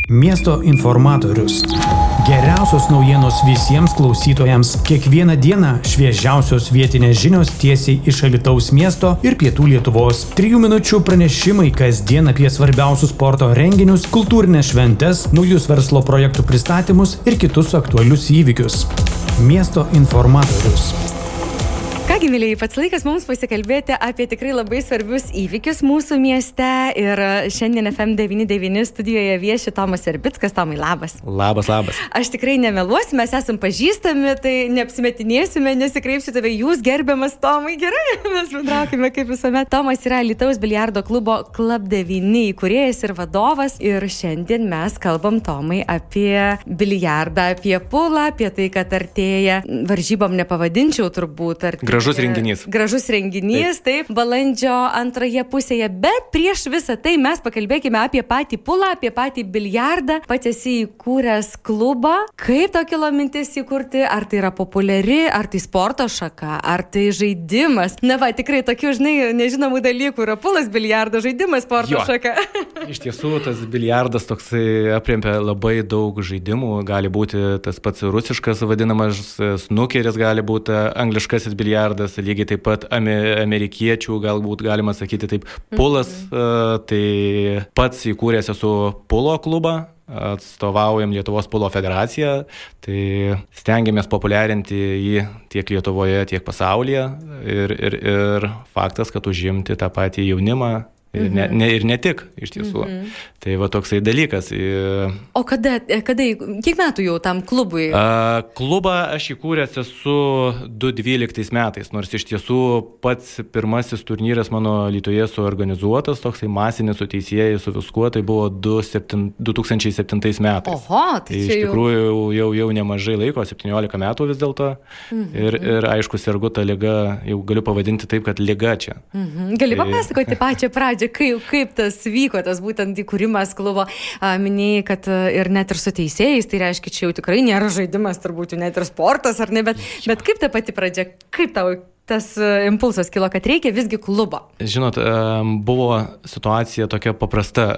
Miesto informatorius. Geriausios naujienos visiems klausytojams. Kiekvieną dieną šviežiausios vietinės žinios tiesiai iš Alytaus miesto ir pietų Lietuvos. 3 minučių pranešimai kasdien apie svarbiausius sporto renginius, kultūrinės šventes, naujus verslo projektų pristatymus ir kitus aktualius įvykius. Miesto informatorius. Kągi, mėlyjei, pats laikas mums pasikalbėti apie tikrai labai svarbius įvykius mūsų mieste ir šiandien FM99 studijoje vieši Tomas Verbickas. Tomai, labas. Labas. Aš tikrai nemeluosiu, mes esam pažįstami, tai neapsimetinėsime, nesikreipsiu tave, jūs gerbiamas Tomai, gerai, mes bendraukime kaip visuomet. Tomas yra Alytaus biliardo klubo Club 9 įkūrėjas ir vadovas ir šiandien mes kalbam, Tomai, apie biliardą, apie pulą, apie tai, kad artėja, varžybom nepavadinčiau turbūt, Gražus renginys, taip, balandžio antroje pusėje, bet prieš visą tai mes pakalbėkime apie patį pulą, apie patį biliardą. Pats esi įkūręs klubą. Kaip to kilo mintis įkurti? Ar tai yra populiari, ar tai sporto šaka, ar tai žaidimas? Na va, tikrai tokių, nežinomų dalykų yra pulas, biliardo, žaidimas, sporto šaka. Iš tiesų, tas biliardas toksai apriempia labai daug žaidimų. Gali būti tas pats rusiškas vadinamas snukeris, gali būti angliškasis biliardas, lygiai taip pat amerikiečių, galbūt galima sakyti taip, pulas, tai pats įkūręs esu pulo klubą, atstovaujam Lietuvos pulo federaciją, tai stengiamės populiarinti jį tiek Lietuvoje, tiek pasaulyje ir faktas, kad užimti tą patį jaunimą ir ne tik, iš tiesų. Tai va toksai dalykas. O kada, kiek metų jau tam klubui? Klubą aš įkūręs esu 2012 metais, nors iš tiesų pats pirmasis turnyras mano Alytuje suorganizuotas, toksai masinis su teisėjai, su viskuo, tai buvo 2007 metais. Oho, tai iš tikrųjų jau nemažai laiko, 17 metų vis dėlto. Ir aišku, sergu tą ligą, jau galiu pavadinti taip, kad liga čia. Gali papasakoti pačią pradžią, kaip tas vyko, tas būtent įkūrimas klubo. Minėjai, kad ir net ir su teisėjais, tai reiškia, čia jau tikrai nėra žaidimas, turbūt net ir sportas, ar ne, bet kaip ta pati pradžia, kaip tau tas impulsas kilo, kad reikia visgi klubo? Žinot, buvo situacija tokia paprasta.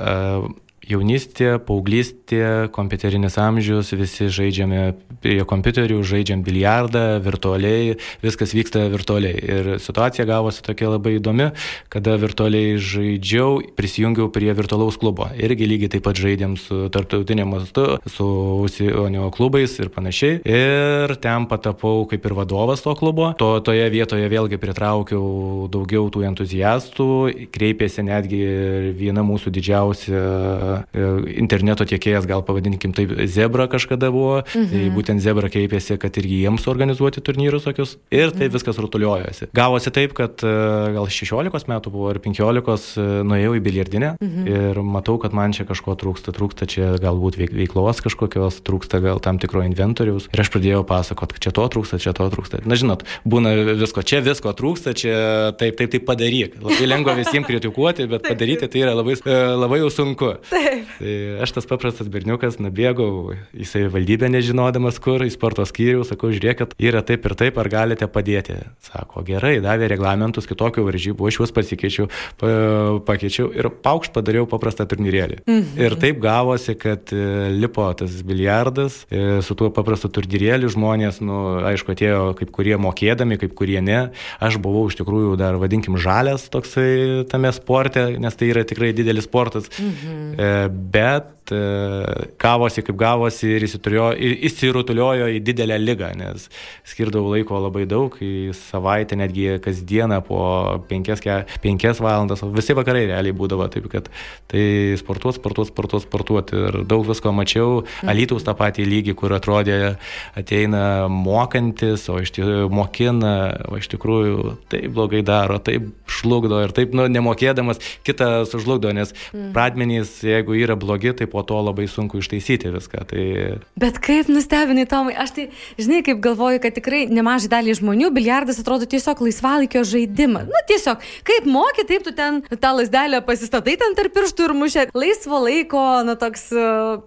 Jaunystė, paauglystė, kompiuterinis amžius, visi žaidžiame prie kompiuterių, žaidžiam biliardą, virtualiai, viskas vyksta virtualiai. Ir situacija gavosi tokia labai įdomi, kada virtualiai žaidžiau, prisijungiau prie virtualaus klubo. Irgi lygiai taip pat žaidėm su tarptautiniu mastu, su užsienio klubais ir panašiai. Ir ten patapau kaip ir vadovas to klubo. Toje vietoje vėlgi pritraukiau daugiau tų entuziastų, kreipėsi netgi viena mūsų didžiausia interneto tiekėjas, gal pavadinkim taip, Zebra kažkada buvo, tai būtent Zebra kreipėsi, kad irgi jiems organizuoti turnyrus tokius, ir taip viskas rutuliojosi. Gavosi taip, kad gal 16 metų buvo ir 15 nuėjau į biliardinę ir matau, kad man čia kažko trūksta čia galbūt veiklos kažkokios, trūksta gal tam tikro inventoriaus, ir aš pradėjau pasakot, kad čia to trūksta. Na žinot, būna visko trūksta, čia taip padaryk. Labai lengva visiems kritikuoti, bet padaryti tai yra labai jau sunku. Tai aš tas paprastas berniukas nubėgau į savivaldybę nežinodamas kur, į sporto skyrių, sakau, žiūrėkit, yra taip ir taip, ar galite padėti? Sako, gerai, davė reglamentus kitokių varžybų, aš juos pakeičiau ir paukšt padariau paprastą turnyrėlį. Ir taip gavosi, kad lipo tas biliardas, su tuo paprastu turnyrėliu žmonės, aišku, atėjo kaip kurie mokėdami, kaip kurie ne. Aš buvau iš tikrųjų dar, vadinkim, žalias toksai tame sporte, nes tai yra tikrai didelis sportas. Bet gavosi kaip gavosi ir įsirutuliojo į didelę ligą, nes skirdavau laiko labai daug, į savaitę netgi kasdieną po 5 valandas, visi vakarai realiai būdavo, taip kad tai sportuoti ir daug visko mačiau. Alytaus tą patį lygį, kur atrodė ateina mokantis, o iš tikrųjų mokina, o iš tikrųjų taip blogai daro, taip šlugdo ir taip nemokėdamas kitą sužlugdo, nes pradmenys, jeigu yra blogi, tai po to labai sunku ištaisyti viską. Tai... Bet kaip nustebinai, Tomai, aš tai, kaip galvoju, kad tikrai nemažai dalį žmonių biliardas atrodo tiesiog laisvalaikio žaidimas. Tiesiog, kaip moki, taip tu ten tą lazdelę pasistatai ten tarp pirštų ir mušė. Laisvo laiko, toks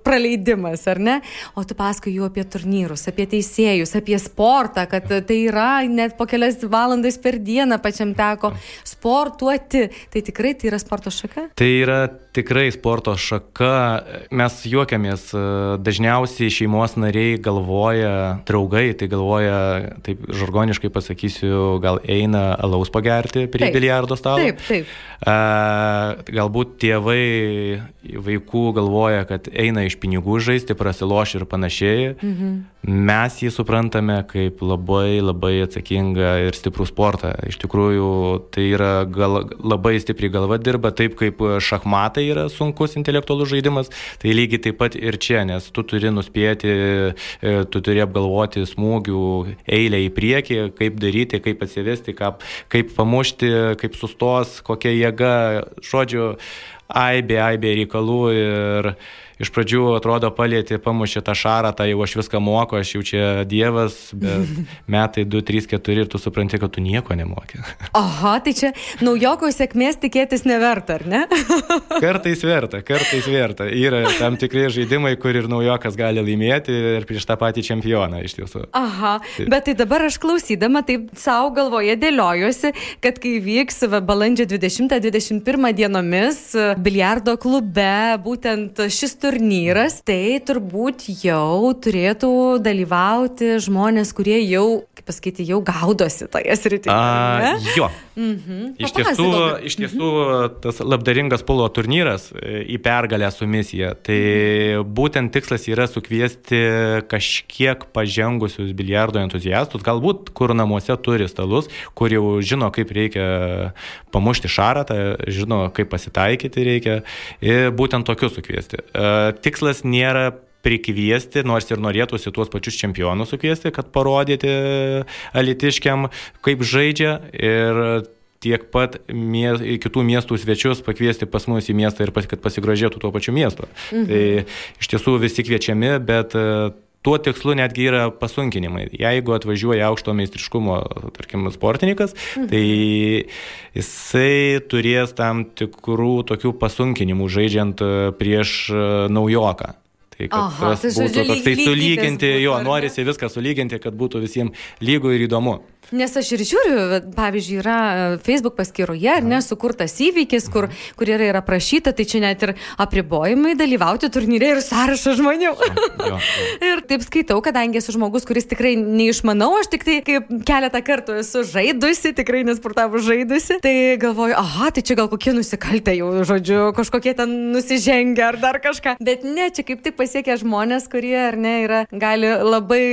praleidimas, ar ne? O tu paskui jų apie turnyrus, apie teisėjus, apie sportą, kad tai yra net po kelias valandas per dieną pačiam teko sportuoti. Tai tikrai tai yra sporto šaka? Tai yra tikrai sporto šaka. Mes juokiamės, dažniausiai šeimos nariai galvoja, draugai, tai galvoja, taip žargoniškai pasakysiu, gal eina alaus pagerti prie biliardo stalo. Taip. Galbūt tėvai vaikų galvoja, kad eina iš pinigų žaisti, prasiloš ir panašiai. Mes jį suprantame kaip labai, labai atsakingą ir stiprų sportą. Iš tikrųjų, tai yra labai stipriai galva dirba, taip kaip šachmatai yra sunkus intelektualus žaidimas, tai lygiai taip pat ir čia, nes tu turi nuspėti, tu turi apgalvoti smūgių eilę į priekį, kaip daryti, kaip atsivesti, kaip pamušti, kaip sustos, kokia jėga, žodžiu, aibė reikalų ir iš pradžių atrodo palieti, pamušė tą šarą, tai jau aš viską moku, aš jau čia dievas, bet metai 2, 3, 4 ir tu supranti, kad tu nieko nemoki. Aha, tai čia naujoko sėkmės tikėtis neverta, ar ne? Kartais verta. Yra tam tikri žaidimai, kur ir naujokas gali laimėti ir prieš tą patį čempioną iš tiesų. Aha, bet tai dabar aš klausydama taip savo galvoje dėliojuosi, kad kai vyks balandžio 20-21 dienomis biliardo klube būtent šis turnyras, tai turbūt jau turėtų dalyvauti žmonės, kurie jau, kaip pasakyti, jau gaudosi toje srityje. Jo. Iš tiesų, tas labdaringas pulo turnyras į pergalę su misija. Tai būtent tikslas yra sukviesti kažkiek pažengusius biliardo entuziastus, galbūt kur namuose turi stalus, kur jau žino, kaip reikia pamušti šarą, žino, kaip pasitaikyti reikia. Ir būtent tokius sukviesti. Tikslas nėra prikviesti, nors ir norėtųsi tuos pačius čempionus sukviesti, kad parodyti alytiškiam, kaip žaidžia ir tiek pat kitų miestų svečius pakviesti pas mus į miestą ir kad pasigrožėtų tuo pačiu miestu. Tai iš tiesų visi kviečiami, bet tuo tikslu netgi yra pasunkinimai. Jeigu atvažiuoja aukšto meistriškumo, tarkim, sportininkas, tai jisai turės tam tikrų tokių pasunkinimų žaidžiant prieš naujoką. Tai kad tas būtų toksai sulyginti, norisi viską sulyginti, kad būtų visiems lygu ir įdomu. Nes aš ir žiūriu, pavyzdžiui, yra Facebook paskyroje, ar ne, sukurtas įvykis, kur yra aprašyta, tai čia net ir apribojimai dalyvauti turnyre ir sąrašą žmonių. Ir taip skaitau, kadangi esu žmogus, kuris tikrai neišmanau, aš tik tai kaip keletą kartų esu žaidusi, tikrai nesportavus žaidusi, tai galvoju, tai čia gal kokie nusikaltę jau, žodžiu, kažkokie ten nusižengia ar dar kažką. Bet ne, čia kaip tik pasiekia žmonės, kurie, ar ne, gali labai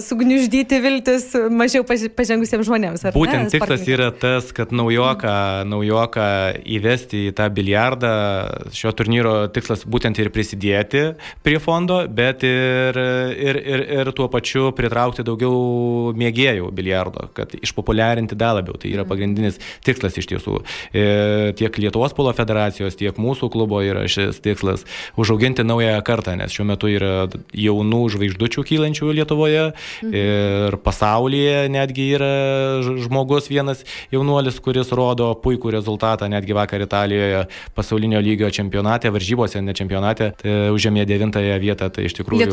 sugniuždyti viltis mažiau pažengusiems žmonėms. Būtent tikslas yra tas, kad naujoką įvesti į tą biliardą. Šio turnyro tikslas būtent ir prisidėti prie fondo, bet ir tuo pačiu pritraukti daugiau mėgėjų biliardo, kad išpopuliarinti dar labiau. Tai yra pagrindinis tikslas iš tiesų. Tiek Lietuvos pulo federacijos, tiek mūsų klubo yra šis tikslas užauginti naują kartą, nes šiuo metu yra jaunų žvaigždučių kylančių Lietuvoje ir pasaulyje netgi yra žmogus vienas jaunuolis, kuris rodo puikų rezultatą, netgi vakar Italijoje pasaulinio lygio čempionate, varžybose, ne čempionate, tai užėmė 9-ąją vietą, tai iš tikrųjų...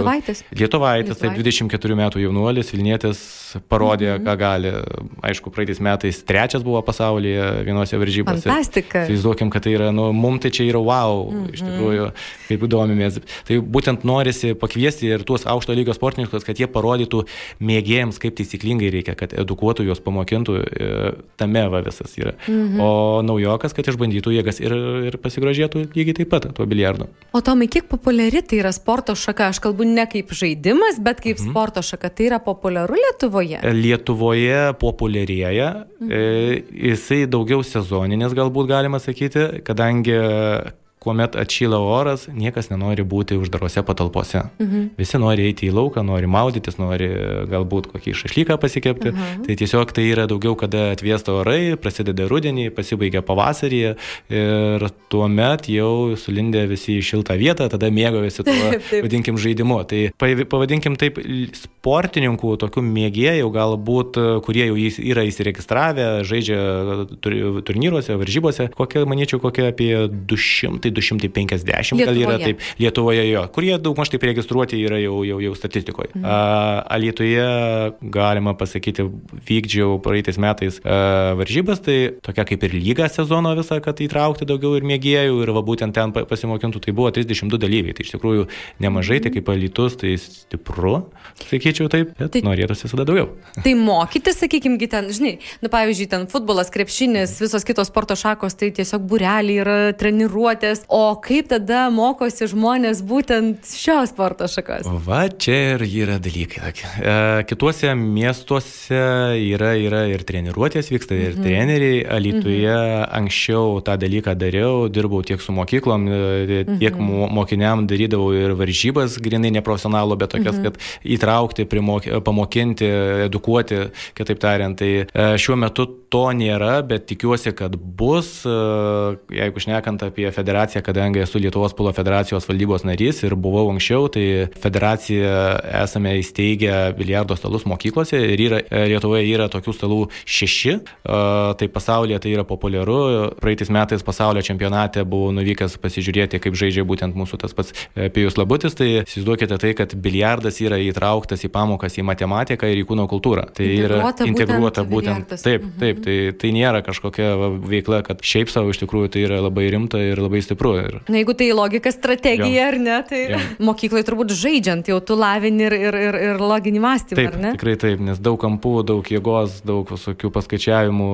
Lietuvaitis, taip 24 metų jaunuolis, Vilnietis parodė, ką gali. Aišku, praeitais metais 3 buvo pasaulyje vienose varžybose. Fantastika. Įsivaizduokim, kad tai yra, mum tai čia yra wow, iš tikrųjų, kaip domimės. Tai būtent norisi pakviesti ir tuos aukšto lygio sportininkus, kad jie parodytų mėgėjams, kaip taisyklingai reikia, kad edukuotų juos, pamokintų, tame visas yra. O naujokas, kad išbandytų jėgas ir pasigrožėtų lygiai taip pat tuo biliardu. O Tomai, kiek populiari tai yra sporto šaka? Aš kalbu ne kaip žaidimas, bet kaip sporto šaka. Tai yra populiaru Lietuvoje? Lietuvoje populiarėja. Jisai daugiau sezoninis galbūt galima sakyti, kadangi kuomet atšyla oras, niekas nenori būti uždarose patalpose. Visi nori eiti į lauką, nori maudytis, nori galbūt kokį šašlyką pasikepti. Tai tiesiog tai yra daugiau, kada atvėsta orai, prasideda rudenį, pasibaigia pavasarį ir tuomet jau sulindė visi į šiltą vietą, tada mėgaujasi tuo, vadinkim, žaidimu. Tai pavadinkim taip, sportininkų, tokių mėgėjų galbūt, kurie jau yra įsiregistravę, žaidžia turnyruose, varžybose, manyčiau, kokie apie 200 250 gal yra taip Lietuvoje jo, kurie daugmaž taip registruoti yra jau statistikoje. Alytuje, galima pasakyti, vykdžiau praeitais metais varžybas, tai tokia kaip ir lyga sezono visą, kad įtraukti daugiau ir mėgėjų ir va būtent ten pasimokintų, tai buvo 32 dalyviai. Tai iš tikrųjų nemažai, tai kaip Alytus, tai stipru, sakyčiau taip, bet norėtųsi visada daugiau. Tai mokytis, sakykime, ten, žinai, pavyzdžiui, ten futbolas, krepšinis, visos kitos sporto šakos, tai tiesiog būreliai yra treniruotės, o kaip tada mokosi žmonės būtent šios sporto šakos? Va, čia ir yra dalykai. Kituose miestuose yra ir treniruotės, vyksta ir treneriai. Alytuje anksčiau tą dalyką dariau, dirbau tiek su mokyklom, tiek mokiniam darydavau ir varžybas, grinai neprofesionalų, bet tokias, kad įtraukti, pamokinti, edukuoti, kitaip tariant. Tai šiuo metu to nėra, bet tikiuosi, kad bus, jeigu šnekant apie federaciją, kadangi esu Lietuvos polo federacijos valdybos narys ir buvau anksčiau, tai federacija esame įsteigę biliardo stalus mokyklose ir Lietuvoje yra tokių stalų 6, tai pasaulyje tai yra populiaru. Praeitais metais pasaulio čempionate buvau nuvykęs pasižiūrėti, kaip žaidžia būtent mūsų tas pats Pijus Labutis, tai įsivaizduokite tai, kad biliardas yra įtrauktas į pamokas į matematiką ir į kūno kultūrą. Tai yra integruota būtent. Taip, tai nėra kažkokia veikla, kad šiaip savo iš tikrųjų tai yra labai rimta ir labai stipru. Na, jeigu tai logika, strategija, ar ne, tai mokyklai turbūt žaidžiant jau tu lavini ir loginį mąstymą, taip, ar ne? Tikrai taip, nes daug kampų, daug jėgos, daug visokių paskaičiavimų.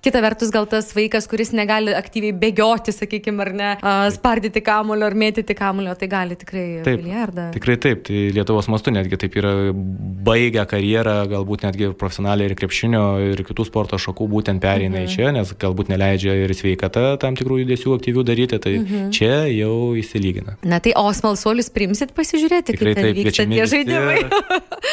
Kita vertus, gal tas vaikas, kuris negali aktyviai bėgioti, sakykime, ar ne, spardyti kamuolio ar mėtyti kamuolio, tai gali tikrai biliardą. Tikrai taip, tai Lietuvos mastu netgi taip yra baigę karjerą, galbūt netgi profesionaliai ir krepšinio ir kitų sporto šakų būtent pereina į čia, nes galbūt neleidžia ir sveikata tam tikrų judesių aktyvių daryti, tai čia jau įsilygina. Na tai, o smalsuolius priimsit pasižiūrėti, tikrai kaip ten vyksta tie žaidimai?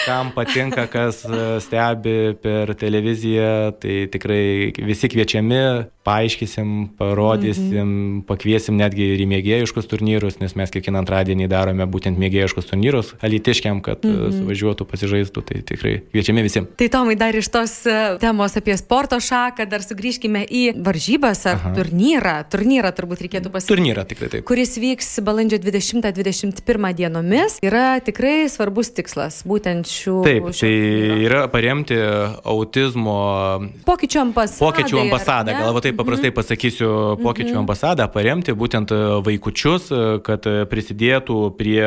Kam patinka, kas stebi per televiziją, tai tikrai visi kviečiami, paaiškysim, parodysim, pakviesim netgi ir į mėgėjiškus turnyrus, nes mes kiekvieną antradienį darome būtent mėgėjiškus turnyrus alytiškiam, kad suvažiuotų, pasižaistų, tai tikrai kviečiami visiems. Tai Tomai, dar iš tos temos apie sporto šaką, dar sugrįžkime į varžybas ar turnyrą turbūt reikėtų pasakyti. Turnyrą, tikrai taip. Kuris vyks balandžio 20-21 dienomis, yra tikrai svarbus tikslas, būtent šių... Taip, tai yra paremti autizmo... Pokyčių ambasadą, gal taip paprastai pasakysiu, pokyčių ambasadą, paremti būtent vaikučius, kad prisidėtų prie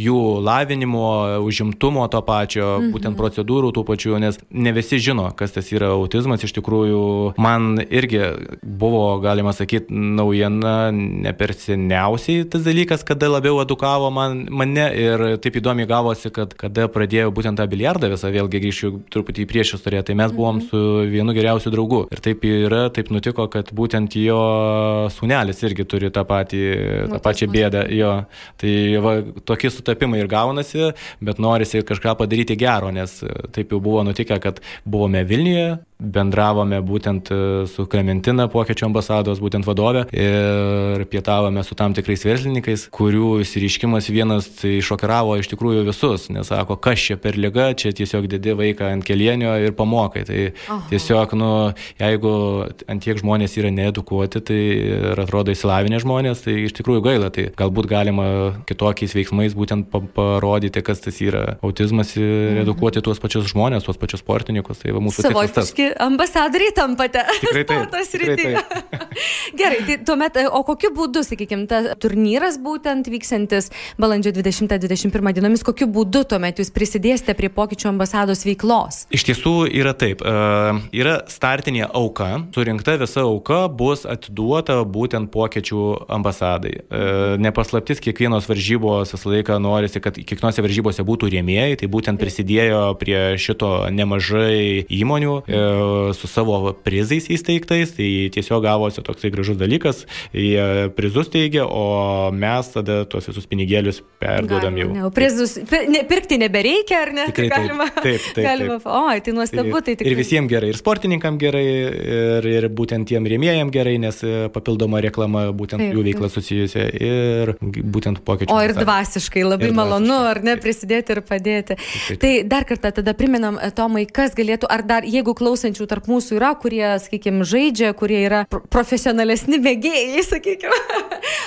jų lavinimo, užimtumo to pačio, būtent procedūrų tų pačių, nes ne visi žino, kas tas yra autizmas. Iš tikrųjų, man irgi buvo, galima sakyti, naujiena ne per seniausiai tas dalykas, kada labiau edukavo mane ir taip įdomiai gavosi, kad kada pradėjau būtent tą biliardą visą, vėlgi grįšiu truputį į priešistorę, tai mes buvom su vienu geriausiu draugu. Ir taip yra, taip nutiko, kad būtent jo sūnelis irgi turi tą pačią bėdą. Jo. Tai va, tokie sutapimai ir gaunasi, bet norisi kažką padaryti gero, nes taip jau buvo nutikę, kad buvome Vilniuje, bendravome būtent su Klementina, Pokyčių ambasados būtent vadovė, ir pietavome su tam tikrais verslininkais, kurių įsireiškimas vienas tai šokiravo iš tikrųjų visus, nes sako, kas čia per liga, čia tiesiog dedi vaiką ant kelienio ir pamokai. Tai tiesiog, jeigu ant tiek žmonės yra needukuoti, tai ir atrodo įsilavinę žmonės, tai iš tikrųjų gaila. Tai galbūt galima kitokiais veiksmais būtent parodyti, kas tas yra autizmas ir edukuoti tuos pačius žmonės, tuos pačius sportininkus. Tai va mūsų tikslas tas. Ambasadoriai tampate sporto srityje. Gerai, tai tuomet, o kokiu būdu, sakykime, tas turnyras būtent vyksantis balandžio 20-21 dienomis, kokiu būdu tuomet jūs prisidėsite prie Pokyčių ambasados veiklos? Iš tiesų yra taip. Yra startinė auka, surinkta visa auka bus atiduota būtent Pokyčių ambasadai. Nepaslaptis, kiekvienos varžybos visą laiką norisi, kad kiekvienose varžybose būtų rėmėjai, tai būtent prisidėjo prie šito nemažai įmonių su savo prizais įsteigtais, tai tiesiog gavosi toksai gražus dalykas, jie prizus teigia, o mes tada tuos visus pinigėlius perduodam jau. Prizus pirkti nebereikia, ar ne? Tikrai taip. Oi, tai nuostabu, tai tikrai. Ir visiems gerai, ir sportininkam gerai, ir būtent tiem rėmėjam gerai, nes papildoma reklama būtent jų veikla susijusi ir būtent Pokyčių. O ir dvasiškai labai malonu, ar ne, prisidėti ir padėti. Tai dar kartą tada priminam, Tomai, kas galėtų, ar dar, jeigu klauso klausančių tarp mūsų yra, kurie, sakykime, žaidžia, kurie yra profesionalesni mėgėjai, sakykime.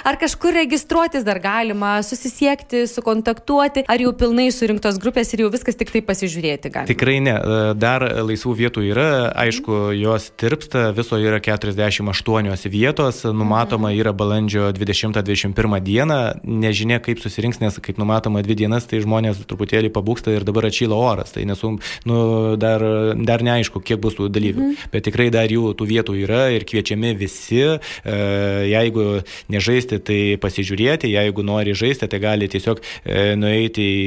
Ar kažkur registruotis dar galima, susisiekti, sukontaktuoti, ar jau pilnai surinktos grupės ir jau viskas tik tai pasižiūrėti galima? Tikrai ne. Dar laisvų vietų yra, aišku, jos tirpsta, viso yra 48 vietos, numatoma yra balandžio 20-21 dieną, nežinia kaip susirinks, nes kaip numatoma 2 dienas, tai žmonės truputėlį pabūksta ir dabar atšyla oras, tai dar neaišku, kiek bus tų dalyvių, bet tikrai dar jų tų vietų yra ir kviečiami visi, jeigu nežaisti, tai pasižiūrėti, jeigu nori žaisti, tai gali tiesiog nueiti į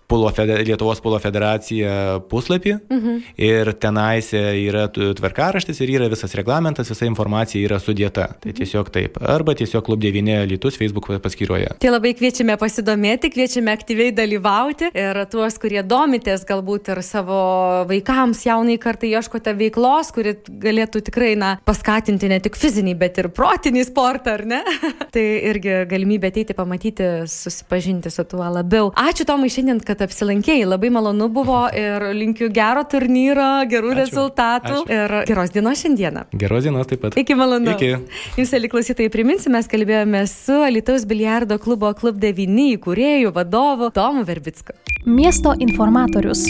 Lietuvos polo federacija puslapį ir tenais yra tvarkaraštis ir yra visas reglamentas, visa informacija yra sudėta. Tai tiesiog taip. Arba tiesiog Klub 9 Alytus Facebook paskyroje. Tai labai kviečiame pasidomėti, kviečiame aktyviai dalyvauti ir tuos, kurie domitės galbūt ir savo vaikams, jaunai kartai ieškote veiklos, kuri galėtų tikrai paskatinti ne tik fizinį, bet ir protinį sportą, ar ne? Tai irgi galimybė ateiti, pamatyti, susipažinti su tuo labiau. Ačiū Tomai šiandien, kad apsilankėjai, labai malonu buvo ir linkiu gero turnyro, gerų rezultatų ir geros dienos šiandieną. Geros dienos taip pat. Iki malonu. Iki. Jums, klausytojai, priminsiu, mes kalbėjome su Alytaus biliardo klubo Klub 9 įkūrėju, vadovu Tomu Verbicku. Miesto informatorius.